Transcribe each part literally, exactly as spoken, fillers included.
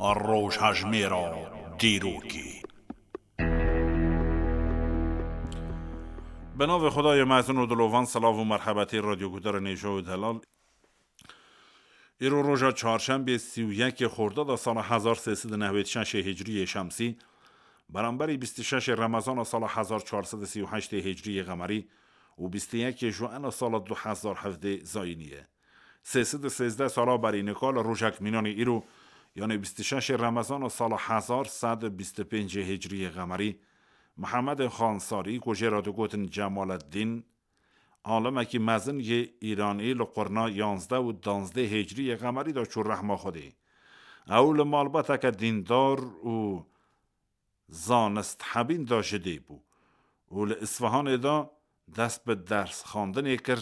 Rojhejmêra dîrokê. Bi navê Xwedayê mezin û dilovan, silav û merhebetê radyoguhdarên hêja û delal. Îro roja çarşembê sî û yekê Xordada sala hezar sê sed û newêd şeşê Hicriyê Şemsî, beramberî bîst û şeşê Remezana sala hezar çar sed û sî û heştê Hicriyê Qemerî û bîst û yekê Juena sala du hezar hevdê Zayînî ye. Sê sed û sêzdeh sala berî nika li rojek mînanê îro, yanê bîst û şeşê Remezana sala hezar sed û bîst û pêncê Hicriyê Qemerî, Mihemedê Xansarî, ku jê re digotin Cemaleddîn, alimekî mezin yê Îranî, li qurna yanzdeh û danzdeh Hicriyê Qemerî de çû rehma Xwedê. Ew li malbateke dîndar û zanisthebîn de ji dê bû û li Îsfihanê de dest bi dersxwendinê kir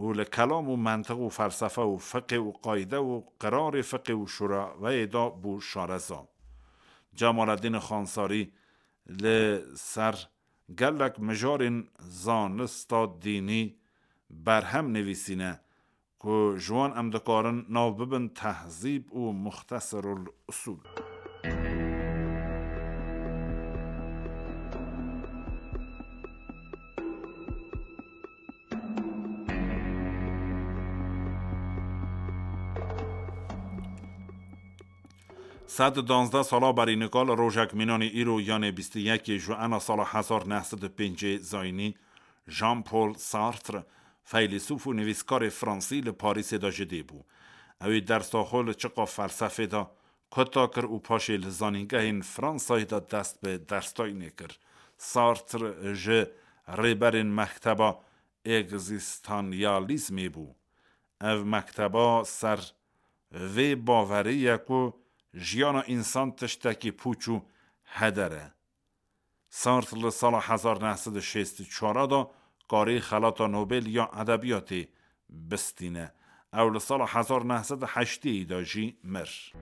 û li kelam û mentiq û felsefe û fiqê û qayde û qirarê fiqê û şuraweyê de bû şareza. Cemaleddîn Xansarî li ser gelek mijarên zanista dînî berhem nivîsîne ku ji wan em dikarin nav bibin Tehzîb û Muxtesirul Usûl. Sed û danzdeh sala berî nika li rojek mînanî îro, yanê bîst û yekê Juena sala hezar neh sed û pêncê Zayînî, Jean-Paul Sartre, feylesûf û nivîskarê fransî li Parîsê de ji dê bû. Ew ê dersa xwe li çiqa felsefê de kuta kir û paşê li zanîngehên Fransayê de dest bi dersdayînê kir. Sartre ji rêberên mekteba egzîstanyalîzmê bû. Ev mekteba ser vê bawerî ye ku jiyana însan tiştekî pûç û heder e. Sartre li sala hezar neh sed û şêst û çar de karê Xelata Nobel ya Edebiyatê bistîne. Ew li sala hezar neh sed û heştê de jî mir.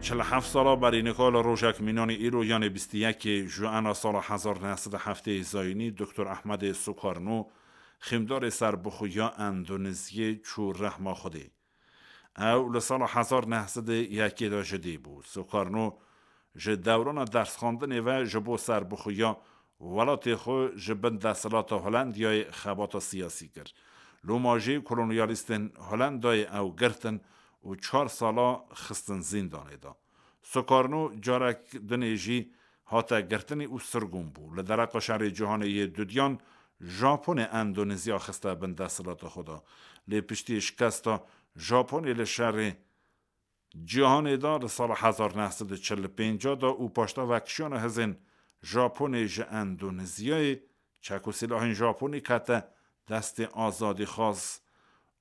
Çil heft sala berî nika li rojek mînanî îro, yanê bîst û yekê Juena sala hezar neh sed û heftê Zayînî, Doktor Ehmedê Sukarno, xîmdarê serbixwe ya Endonezyê, çû rehma Xwedê. Ew li sala hezar neh sed û yekê de ji dê bû. Sukarno ji dewrana dersxwendinê ve ji bo serbixweya welatê xwe ji bin desthilata Holendiyayê xebata siyasî kir. Loma jî kolonyalîstên Holendayê ew girtin û çar sala xistin zîndanê de. Sukarno carek dinê jî hate girtinê û sirgûn bû. Li dereqa Şerê Cîhanê yê Dudiyan, Japonê Endonezya xiste bin desthilata xwe de. Lê piştî şikesta Japonê li Şerê Cîhanê de li sala hezar neh sed û çil û pênc de û paşda vekişiyana hizên Japonê ji Endonezyayê, çek û silahên Japonî kete destê azadîxwaz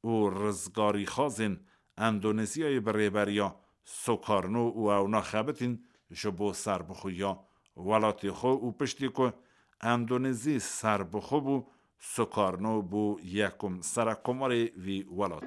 û rizgarîxwazên Endonezyayê bi rêberiya Sukarno û ew naxebitîn ji bo serbixweya welatê xwe û piştî ku Endonezî serbixwe bû, Sukarno bû yekum serekkomarê vî welat.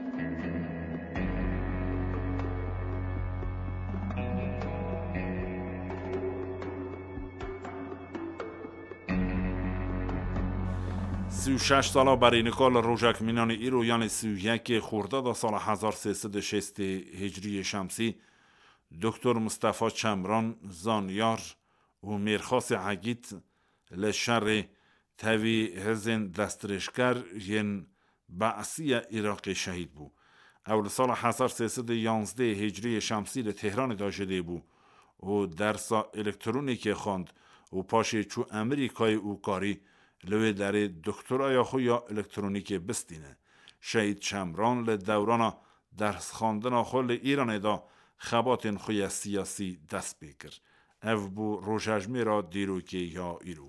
Sî û şeş sala berî nika li rojek mînanê îro, yanê sî û yekê Xordada sala hezar sê sed û şêstê Hicriyê Şemsî, Doktor Mistefa Çemran, zanyar û mêrxasê Egîd, li şerê tevî hizên destdirêjker yên Be'sî ya Iraqê şehîd bû. Ew li sala hezar sê sed û yanzdeh Hicriyê Şemsî li Tehranê de ji dê bû û dersa elektronîkê xwend û paşê çû Amerîkayê û karî li wê derê doktoraya xwe ya elektronîkê bistîne. Şehîd Çemran li dewrana dersxwendina xwe li Îranê de xebatên xwe ya siyasî dest pê kir. Ev bû rojhejmêra dîrokê ya îro.